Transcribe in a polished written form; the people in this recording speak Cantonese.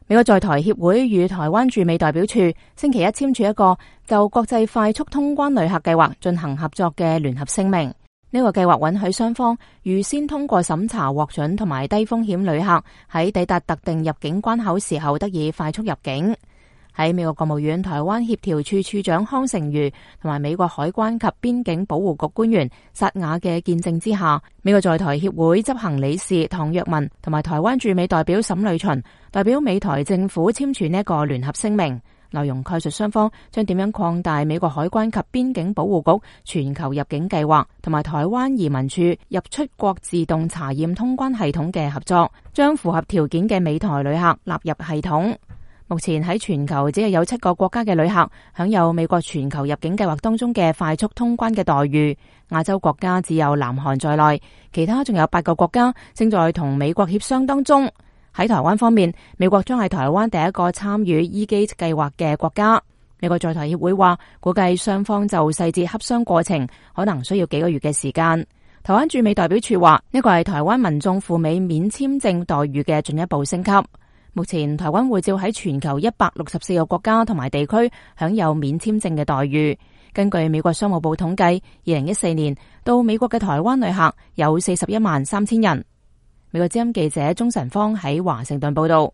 美國在台協會與台灣駐美代表處星期一簽署一個就國際快速通關旅客計劃進行合作嘅聯合聲明。呢個計劃允許雙方預先通過審查獲准同埋低風險旅客喺抵達特定入境關口時候得以快速入境。喺美國國務院台灣協調處處長康成瑜同埋美國海關及邊境保護局官員薩雅嘅見證之下，美國在台協會執行理事唐若文同埋台灣駐美代表沈呂巡代表美台政府簽署呢一個聯合聲明，內容概述雙方將點樣擴大美國海關及邊境保護局全球入境計劃同埋台灣移民處入出國自動查驗通關系統嘅合作，將符合條件嘅美台旅客納入系統。目前喺全球只係有7個國家嘅旅客享有美國全球入境計劃當中嘅快速通關嘅待遇，亞洲國家只有南韓在內，其他仲有8個國家正在同美國協商當中。喺台灣方面，美國將係台灣第一個參與 E-Gate 計劃嘅國家。美國在台協會話，估計雙方就細節洽商過程可能需要幾個月嘅時間。台灣駐美代表處話，呢個係台灣民眾赴美免簽證待遇嘅進一步升級。目前台灣護照喺全球164個國家同埋地區享有免簽證嘅待遇。根據美國商務部統計，2014年到美國嘅台灣旅客有41萬3千人。美國之音記者鍾晨芳喺華盛頓報道。